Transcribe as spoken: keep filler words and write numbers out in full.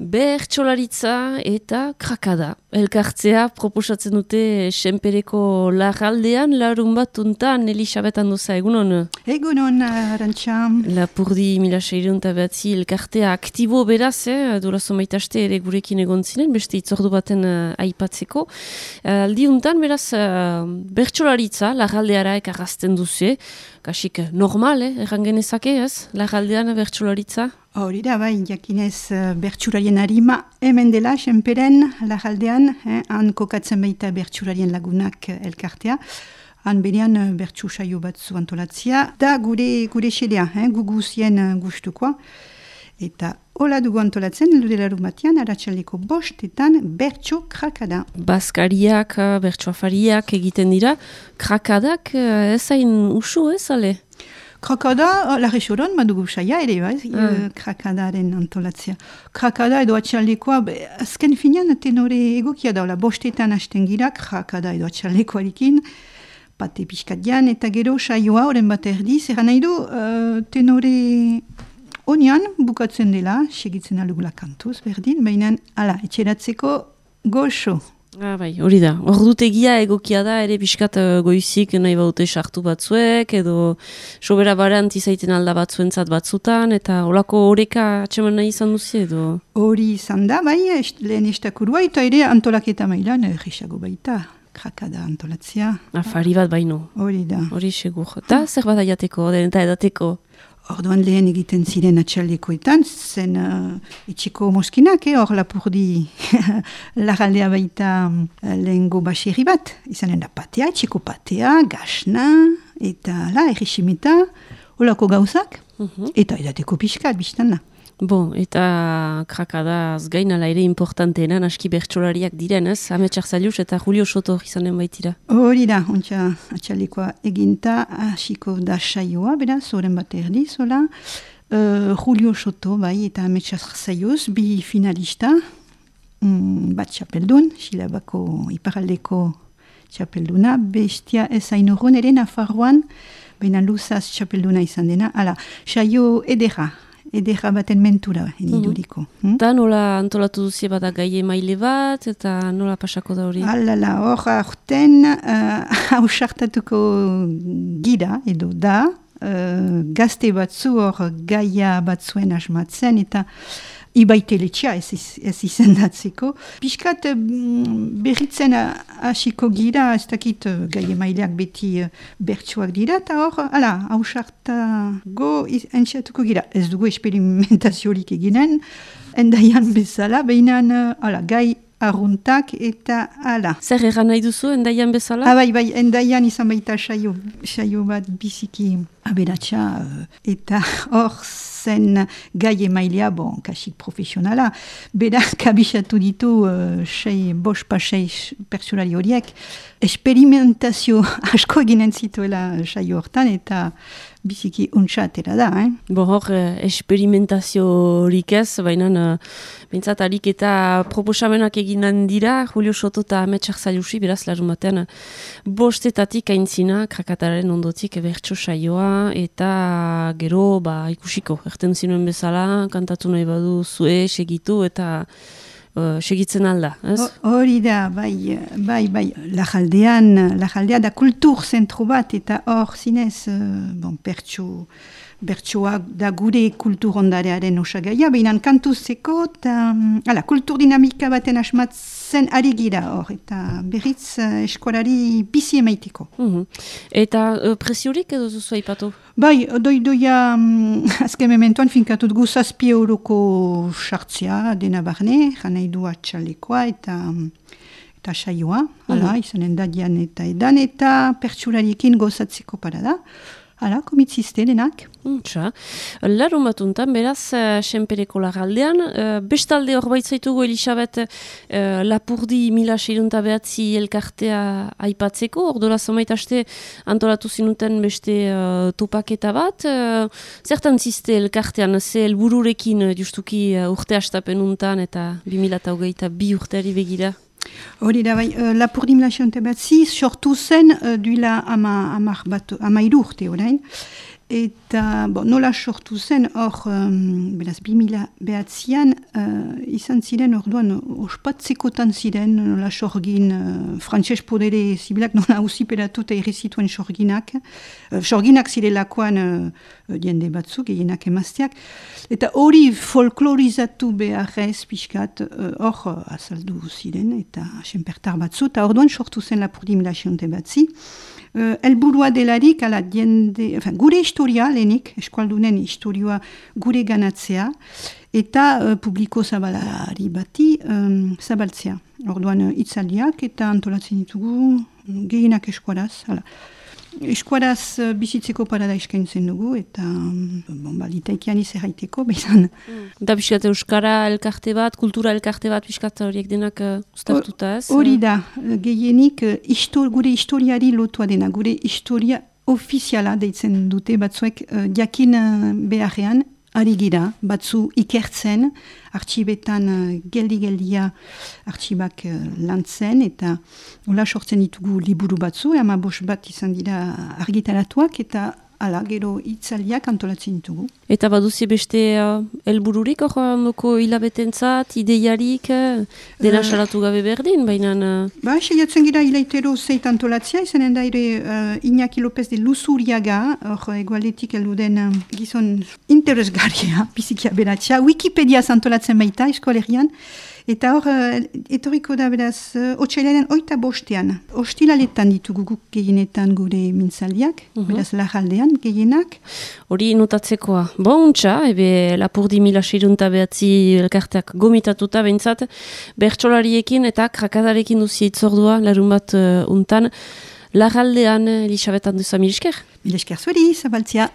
Bertsolaritza eta krakada. Elkartzea proposatzen dute Senpereko Larraldean, larun bat untan, Elisabet Andoza, egunon? Egunon, Arantxa. Lapurdi mila seiehun eta behatzi elkartea aktibo beraz, eh? Durazo maitaste ere gurekin egon zinen, beste itzordu baten uh, aipatzeko. Uh, aldi untan, beraz, uh, bertsolaritza, Larraldeara ekarrazten duzu, kasik normal, eh? Erran genezake, ez? Larraldean bertsolaritza? Hori da, bai, jakinez bertsularien harima hemen dela, Senperen, Larraldean, eh, han kokatzen baita bertsularien lagunak elkartea, han berean bertsu saio batzu antolatzia, da gure, gure xedea, eh, guguzien gustukoa, eta hola dugu antolatzen, ludelaru batean, aratxaldeko bostetan, bertso krakada. Baskariak, bertso afariak egiten dira, krakadak ez hain usu ez, ale? Krakada, Larre Soron, madugu saia ere, bai, mm. krakadaren antolatzea. Krakada edo atxaldekoa, azken finean tenore egokia daula, bostetan hasten gira, krakada edo atxaldekoarekin, pate pixkatian, eta gero saioa, oren bat erdiz, eran nahi du, uh, tenore onian bukatzen dela, segitzen alugula kantuz, berdin, baina, ala, etxeratzeko goxo. Ah, bai, hori da. Ordutegia egokia da, ere pixkat uh, goizik nahi baute sartu batzuek, edo sobera barant izaiten alda batzuentzat batzutan, eta olako horeka atseman nahi izan duzi, edo? Hori izan da, bai, est, lehen estakurua, eta ere antolaketa mailan, errexago baita, krakada antolatzea. Afari bat baino. Hori da. Hori segur. Eta zer bat aiateko, den eta edateko? Orduan lehen egiten ziren atxaldekoetan, zen uh, etxeko moskinak, eh, hor lapurdi Larraldea baita uh, lehengo baserri bat. Izanen da patea, etxeko patea, gasna, eta la, erresimeta, holako gauzak, uh-huh. Eta edateko pixkat, biztan da. Bon, eta krakadaz gainala ere importanteena, aski bertsolariak direnez, Ametxar Zailuz eta Julio Soto izanen baitira. Hori da, ontsa atxalekoa eginta, hasiko da saioa, beraz, zoren bat erdi, zola. Uh, Julio Soto, bai, eta Ametxar Zailuz, bi finalista, mm, bat txapeldun, Silabako iparaldeko txapelduna, bestia ez hainurun ere Nafarroan, baina luzaz txapelduna izan dena, ala, saio edera, edera baten mentura, eniduriko. Mm-hmm. Hmm? Da nola antolatu duzie bada gai emaile bat, eta nola pasako da hori? Alala, hor aurten hausartatuko uh, gira, edo da, uh, gazte batzu hor gaia batzuen asmatzen, eta ibaiteletxea ez, ez izendatzeko. Piskat berritzen hasiko gira, ez dakit gai emaileak beti bertsuak dira, eta hor, ala, hausartago entxatuko gira. Ez dugu experimentaziorik eginen, endaian bezala, behinan, ala, gai arruntak eta ala. Zer egan nahi duzu, endaian bezala? Ah, bai, bai, endaian izan baita saio, saio bat biziki aberatsa, eta hor zen gai emailea, bon, kasik profesionala, berak kabixatu ditu uh, sei, bos pasei pertsolari horiek, experimentazio asko eginen zituela saio hortan, eta biziki untxatera da, eh? Bo hor, eh, experimentazio horik ez, baina uh, bintzat alik eta proposamenak eginen dira, Julio Soto eta Ametxar Zailusi, beraz, larun batean, bostetatik aintzina, krakataren ondotik bertso saioa, eta gero, ba, ikusiko, erten zinuen bezala, kantatu nahi badu zue, segitu, eta uh, segitzen alda, ez? Hori da, bai, bai, bai, Larraldean, Larraldea da kultur zentro bat, eta hor zinez, uh, bon, bertso, bertsoak da gure kultur ondarearen osagaia, behinan kantuzeko, eta, ala, kultur dinamika baten asmatzen ari gira hor, eta berriz uh, eskolari bizi emaiteko. Mm-hmm. Eta uh, presiorik edo zuzu aipatu? Bai, doi-doia um, azken mementoan finkatut gu zazpi euroko sartzea dena barne, janai du atxalekoa eta, eta saioa, hala, mm-hmm. Izanen da dian eta edan, eta pertsulariekin gozatzeko parada. Hala, komitzizte denak. Untxa. Larun batuntan, beraz, uh, Senpereko Larraldean, uh, bestalde hor baitzaitugu Elisabet uh, Lapurdi mila seiehun eta behatzi elkartea aipatzeko, ordola zamaitaste antolatu zinuten beste uh, topaketa bat. Uh, zertan ziste elkartean, ze helbururekin uh, justuki uh, urte hastapen untan eta bi mila hogeita bi urteari begira? Hori da, bai, uh, Lapurdi mila seiehun eta behatzi sortu zen uh, duela ama, amar bat, ama irurte orain. Eta, bon, nola sortu zen, hor, um, beraz, bi mila behatzian, uh, izan ziren, orduan, ospatzekotan ziren, nola sorgin, uh, frantses podere zibilak, nola ausiperatu eta irrizituen sorginak. Uh, sorginak zirelakoan uh, diende batzuk, gehienak emazteak. Eta hori folklorizatu beharrez pixkat, hor, uh, azaldu ziren, eta senpertar batzu, eta orduan sortu zen Lapurdi mila xionte batzi. Uh, elburua delarik, ala, diende, enfin, gure historia, lehenik, eskualdunen historioa gure ganatzea, eta uh, publiko zabalari bati um, zabaltzea. Orduan, uh, itzaldiak eta antolatzen ditugu gehienak eskuaraz, ala. Eskuaraz uh, bizitzeko parada eskaintzen dugu, eta um, bon, balitaikean izerraiteko, bezan. Mm. Da piskat euskara elkarte bat, kultura elkarte bat, piskat horiek denak uh, ustartuta ez? Hori da, gehienik uh, histor, gure historiari lotua dena, gure historia ofiziala deitzen dute batzuek uh, jakin uh, beharrean, ari gira, batzu ikertzen, artxibetan uh, geldi-geldia artxibak uh, lantzen, eta hola sortzen ditugu liburu batzu, ama bost bat izan dira argitaratuak, eta ala, gero itzaliak antolatzen ditugu. Eta baduzi beste uh, elbururik, hor ondoko hilabetentzat, ideiarik, uh, dena uh, salatu gabe berdin, baina... Uh... Ba, seiatzen gira hilaitero zeit antolatzea, izanen da ere uh, Iñaki López de Luzuriaga, hor egualetik elduden uh, gizon interesgarria, bizikia beratxa, Wikipedia antolatzen baita, eskualerian, eta hor, uh, etoriko da beraz, uh, otsailaren oita bostean, ostilaletan ditugu guk gehienetan gure mintzaldiak, uh-huh. Beraz lajaldean, gehienak. Hori notatzekoa. Bontxa, ebe Lapurdi mila seirunta behatzi elkarteak gomitatuta behintzat, bertsolariekin eta krakadarekin duzi itzordua, larun bat uh, untan, lajaldean, Elisabet Anduza, mil esker? Mil esker zueri, zabaltzia.